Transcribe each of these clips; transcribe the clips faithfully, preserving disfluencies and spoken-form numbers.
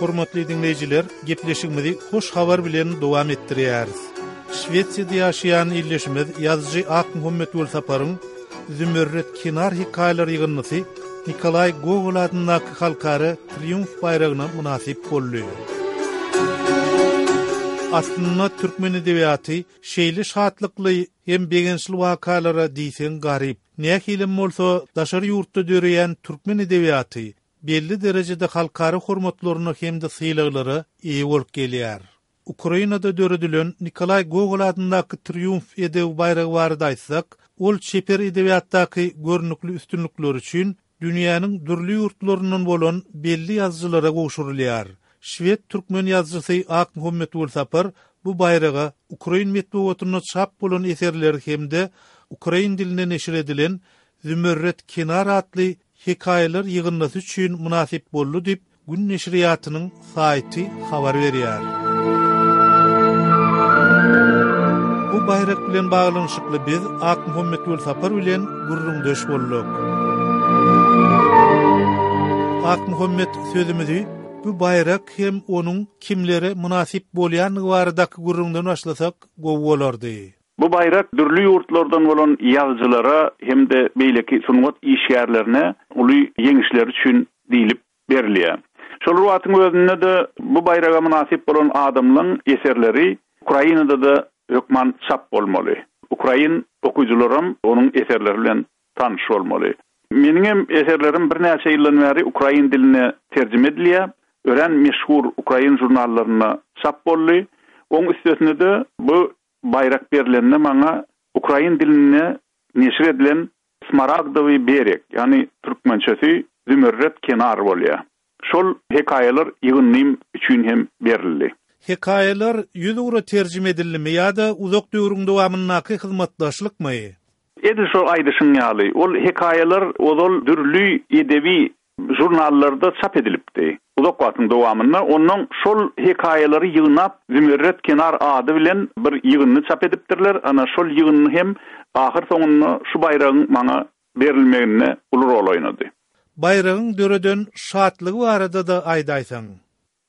Hormatly diňleýjiler, gepleşigimizi hoş habar bilen dowam etdirýäris. Şwesiýada ýaşaýan ildeşimiz ýazyjy Akmuhammet Welsaparyň Zümerret kenar hekaýalar ýygyndysy Nikolaý Gogol adyndaky halkara Triumf baýragyna mynasyp boldy. Aslynda türkmen edebiýaty şeýle şatlykly hem begençli wakalara diýseň garyp. Nähilem bolsa daşary ýurtda döreýän türkmen edebiýaty belli derejede halkara hormatlaryna hem-de sylaglara eýe bolup gelýär. Ukrainada döredilen Nikolaý Gogol adyndaky Triumf edebi baýragy barada aýtsak, ol çeper edebiýatdaky görnükli üstünlikleri üçin dünýäniň dürli ýurtlaryndan bolan belli ýazyjylara gowşurylýar. Şwed türkmen ýazyjysy Akmuhammet Welsapar bu baýraga ukrain metbugatynda çap bolan eserleri hem-de ukrain dilinde neşir edilen Zümerret kenar atly hekaýalar ýygyndysy üçin mynasyp boldy diýip, Gün neşirýatynyň saýty habar berýär. Bu baýrak bilen baglanyşykly biz Akmuhammet Welsapar bilen gürrüňdeş bolduk. Akmuhammet sözümizi bu baýrak hem onuň kimlere mynasyp bolýandygy baradaky gürrüňden başlasak gowy bolardy. Bu baýrak dürli ýurtlardan bolan ýazyjylara hem-de beýleki sungat işgärlerine uly ýeňişleri üçin diýlip berilýär. Şol wagtyň özünde-de bu baýraga mynasyp bolan adamlaryň eserleri Ukrainada-da hökman çap bolmaly. Ukrain okyjylaram onuň eserleri bilen tanyş bolmaly. Meniň hem eserlerim birnäçe ýyldan bäri ukrain diline terjime edilýär. Örän meşhur ukrain žurnallarynda çap boldy. Oň üstesine-de bu baýrak berlende maňa ukrain dilinde neşir edilen Smaragdowy bereg, ýagny türkmençesi Zümerret kenar bolýar. Şol hekaýalar ýygyndym üçin hem berildi. Hekaýalar ýüz ugra terjime edildimi ýa-da uzak döwrüň dowamyndaky hyzmatdaşlykmy? Edil şol aýdyşyň ýaly, ol hekaýalar ozal dürli edebi žurnallarda çap edilipdi. Uzak wagtyň dowamynda ondan şol hekaýalary ýygnap Zümerret kenar ady bilen bir ýygyndy çap edipdirler. Ana şol ýygyndy hem ahyr soňunda şu baýragyň maňa berilmeginde uly rol oýnady. Baýragyň döreden şatlygy barada-da aýdaýsaň.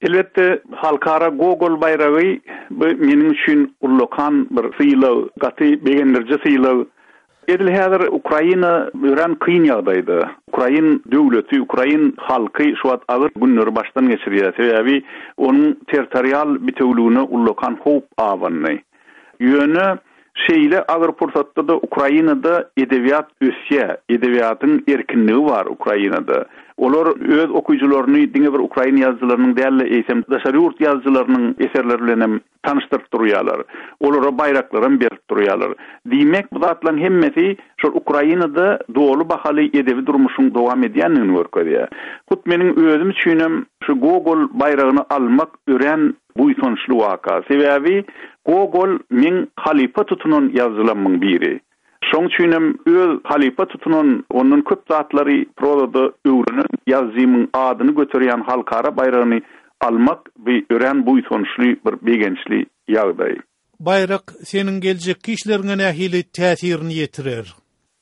Elbetde halkara Gogol baýragy bu meniň üçin ullakan bir sylag, gaty begendiriji sylag. Edil häzir Ukraina örän kyn ýagdaýda. Ukrain döwleti, ukrain halky şu wagt agyr günleri başdan geçirýär. Sebäbi onuň territorial bitewligine ullakan howp abandy. Ýöne şeýle agyr pursatda-da Ukrainada edebiýat ösýär. Edebiýatyň erkinligi bar Ukrainada. Olar öz okyjylaryny diňe bir ukrain ýazyjylarynyň däl-de, eýsem daşary ýurt ýazyjylarynyň eserleri bilen hem tanyşdyryp durýarlar. Olara baýraklaram berip durýarlar. Diýmek, bu zatlaryň hemmesi şol Ukrainada doly bahaly edebi durmuşyň dowam edýändigini görkezýär. Hut meniň özüm üçinem şu Gogol baýragyny almak örän buýsançly waka. Sebäbi Gogol meň halypa tutunan ýazyjylarymyň biri. Şoň üçinem öz halypa tutunan, ondan köp zatlary prozada öwrenen ýazyjymyň adyny göterýän halkara baýragyny almak bu örän buýsançly bir begençli ýagdaý. Baýrak seniň geljekki işleriňe nähili täsirini ýetirer?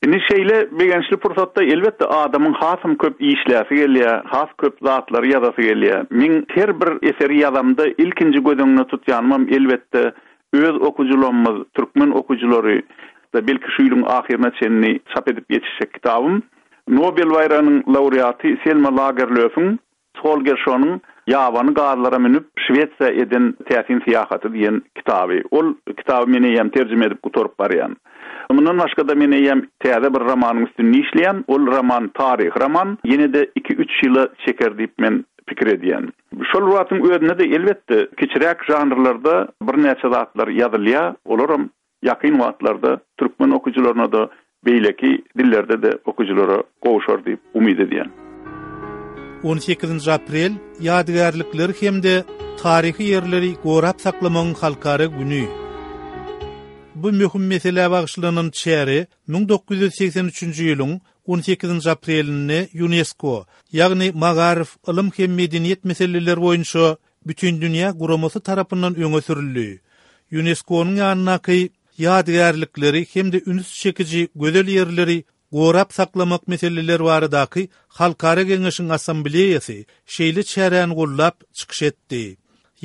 Indi şeýle begençli pursatda elbetde adamyň hasam köp işläsi gelýär, has köp zatlary ýazasy gelýär. Men her bir eseri ýazamda ilkinji göz öňüne tutýanymam elbetde öz okyjylarymyz, türkmen okyjylary da belki şu ýylyň ahyryna çenli çap edip ýetişjek kitabym Nobel baýragynyň laureaty Selma Lagerlöfiň Holgerssonyň Ýabany gazlara münüp Şwesiýa eden täsin syýahaty diýen kitaby. Ol kitaby men eýýäm terjime edip gutaryp barýan. Mundan başga-da men eýýäm täze bir romanyň üstünde işleýän. Ol roman taryhy roman, ýene-de iki-üç ýyla çeker diýip men pikir edýän. Şol wagtyň özünde-de elbetde kiçiräk žanrlarda birnäçe zatlar ýazylýar. Olaram ýakyn wagtlarda türkmen okyjylaryna-da beýleki dillerde-de okyjylara gowşar diýip umyt edýän. On sekizinji aprel ýadygärlikleri hem-de taryhy ýerleri gorap saklamagyň halkara güni. Bu möhüm meselä bagyşlanan çäre müň dokuz ýüz seksen üçünji ýylyň on sekizinji aprelinde UNESCO, ýagny Magaryf, ylym hem medeniýet meseleleri boýunça Bütindünýä guramasy tarapyndan öňe sürüldi. UNESCO-nyň ýanyndaky ýadygärlikleri hem-de üns çekiji gözel ýerleri gorap saklamak meseleleri baradaky Halkara Geňeşiň Assambleýasy şeýle çäräni gollap çykyş etdi.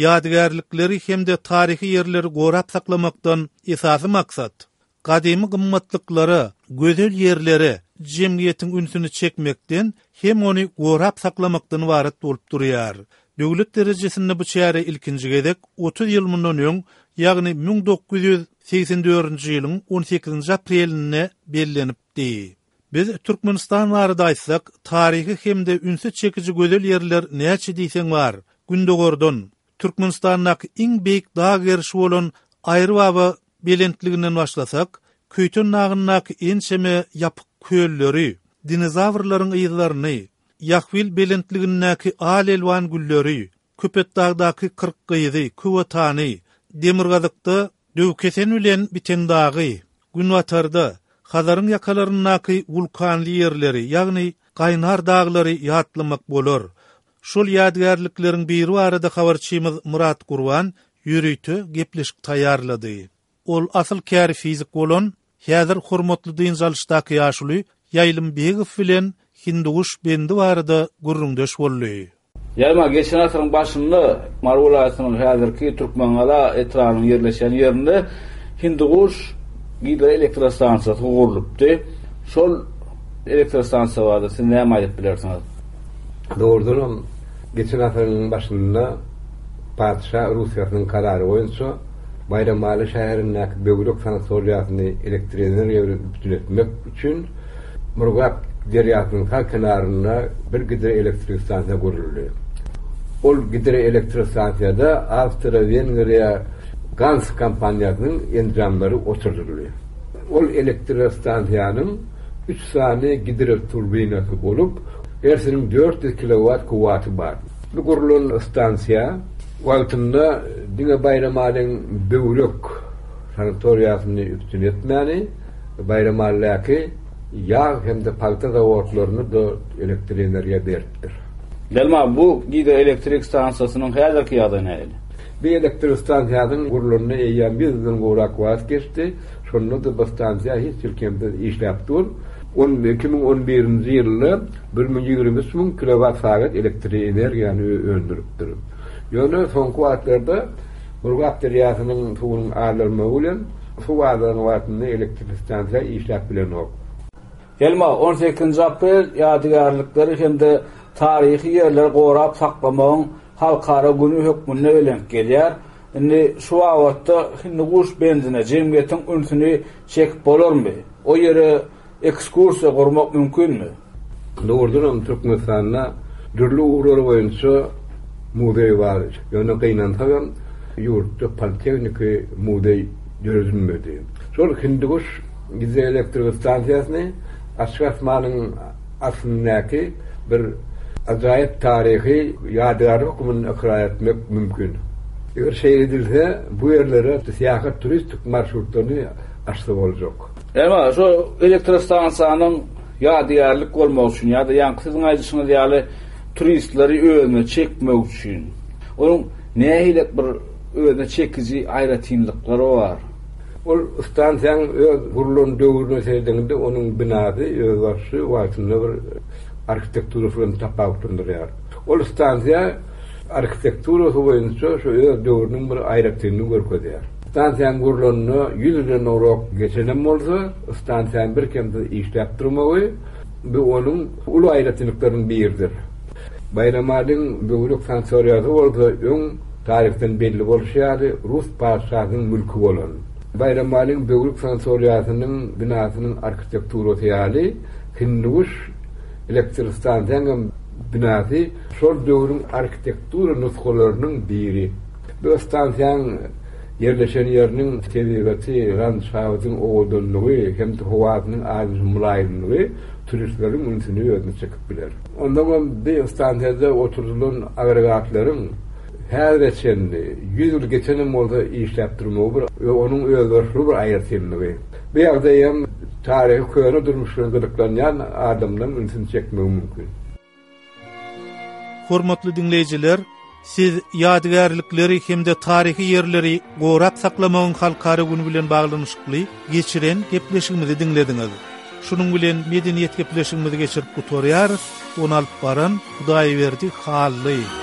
Ýadygärlikleri hem-de taryhy ýerleri gorap saklamakdan esasy maksat gadymy gymmatlyklara, gözel ýerlere jemgyýetiň ünsüni çekmekden hem ony gorap saklamakdan ybarat bolup durýar. Döwlet derejesinde bu çäre ilkinji gezek otuz ýyl mundan öň, ýagny müň dokuz ýüz segsen dördünji ýylyň on sekizinji aprelinde bellenipdi. Biz Türkmenistan barada aýtsak, taryhy hem-de ünsi çekiji gözel ýerler näçe diýseň bar. Gündogardan Türkmenistandaky iň beýik dag gerişi bolan Aýrybaba belentliginden başlasak, Köýten dagyndaky ençeme ýapyk kölleri, dinozawrlaryň yzlaryny, Ýahwil belentligindäki al-elwan gülleri, Köpetdagdaky Kyrk gyzy, Köwatany, Demirgazykda Döwkesen bilen biten dagy, Günbatarda Hazaryň ýakalaryndaky wulkanly ýerleri, ýagny Gaýnar daglary ýatlamak bolar. Şol ýadygärlikleriň biri barada habarçymyz Murat Gurban ýörite gepleşik taýýarlady. Ol asyl käri fizik bolan, häzir hormatly dynç alyşdaky ýaşuly Ýaýlym Begow bilen Hindiguş bendi barada gürrüňdeş boldy. Ýaýma geçen asyryň başynda Mary welaýatynyň häzirki Türkmengala etrabynyň ýerleşen ýerinde Hindiguş gidroelektrostansiýasy gurlupdy. Şol elektrostansiýa barada siz näme aýdyp bilersiňiz? Doğrudan geçen asyryň başynda Patyşa Russiýasynyň karary boýunça Baýramaly şäherindäki Böwrek sanatoriýasyny elektrik energiýa bilen üpjün etmek üçin Murgap derýasynyň sag kenarynda bir gidroelektrik stansiýa guruldy. Ol gidroelektrostansiýada Avstriya-Wengriya Gans kompaniýasynyň enjamlary oturduldy. Ol elektrostansiýanyň üç sany gidroturbinasy bolup, hersiniň dört ýüz kilowatt kuwwaty bar. Bu gurulan stansiýa wagtynda diňe Baýramalyň Böwrek sanatoriýasyny üpjün etmäni, Baýramalydaky ýag hem-de palta zawodlaryny da elektrik energiýa beripdir. Delma, bu gidroelektrik stansiýasynyň häzirki ýagdaýy nähili? Bu elektrik stansiýasynyň gurulanyna eýýäm ýüz ýyldan gowrak wagt geçdi. Şonda da bu stansiýa hiç ýyl kemsiz işläp dur. On iki müň on birinji ýylda bir müň ýigrimi üç müň kilowatt sagat elektrik energiýany öndüripdir. Ýöne soňky wagtlarda Murgap derýasynyň suwunyň azalmagy bilen suw azalan wagtynda elektrik stansiýa işläp bilenok. Elma, on sekizinji aprel ýadygärlikleri hem-de taryhy ýerleri gorap saklamagyň halkara günü hökmünde bellenip gelýär. Indi şu babatda Hindiguş bendine jemgyýetiň ünsüni çekip bolarmy? O ýere ekskursiýa gurmak mümkinmi? Doğrudan Türkmenistanda dürli ugurlar boýunça muzeý bar. Ýöne gynansagam ýurtda politehniki muzeý döredilmedi. Şol Hindiguş gidroelektrik stansiýasyny Açyk asmanyň astyndaky bir ajaýyp taryhy ýadygärlik hökmünde ykrar etmek mümkin. Eger şeýle edilse, bu ýerlere syýahat turistik marşrutlaryny açsa boljak. Emma şu elektrostansiýanyň ýadygärlik bolmagy üçin ýa-da ýaňky siziň aýdyşyňyz ýaly turistleri özüne çekmek üçin onuň nähili bir özüne çekiji aýratynlyklary bar? Ol stansiýanyň öz gurulan döwrüne seredende onuň binasy özbaşy wagtynda bir arhitekturasy bilen tapawutlandyrýar. Ol stansiýa arhitekturasy boýunça şu öz döwrüniň bir aýratynlygyny görkezýär. Stansiýanyň gurulanyna ýüz ýyldan gowrak geçenem bolsa, stansiýanyň bir kemsiz işläp durmagy bu onuň uly aýratynlyklarynyň biridir. Baýramalyň Böwrek sanatoriýasy bolsa öň taryhdan belli bolşy ýaly Rus patyşasynyň mülki bolan. Baýramalyň Böwrek sanatoriýasynyň binasynyň arhitekturasy ýaly Hindiguş elektrostansiýanyň binasy şol döwrüň arhitektura nusgalarynyň biri. Bu stansiýanyň ýerleşen ýeriniň tebigaty, landşaftyň owadanlygy hem-de howasynyň adyny mylaýymlygy turistleriň ünsüni özüne çekip biler. Ondan hem bu stansiýada oturdylan agregatlaryň häzire çenli ýüz ýyl geçenem bolsa işläp durmagy bir we onuň özboluşly bir aýratynlygy. Bu ýagdaý hem taryhy köne durmuş bilen gyzyklanýan adamlaryň ünsüni çekmegi mümkin. Hormatly dinleýjiler, siz ýadygärlikleri hem-de taryhy ýerleri gorap saklamagyň halkara günü bilen baglanyşykly geçiren gepleşigimizi dinlediňiz. Şunuň bilen medeniýet gepleşigimizi geçirip gutarýarys. Ony alyp baran Hudaýberdi Hally.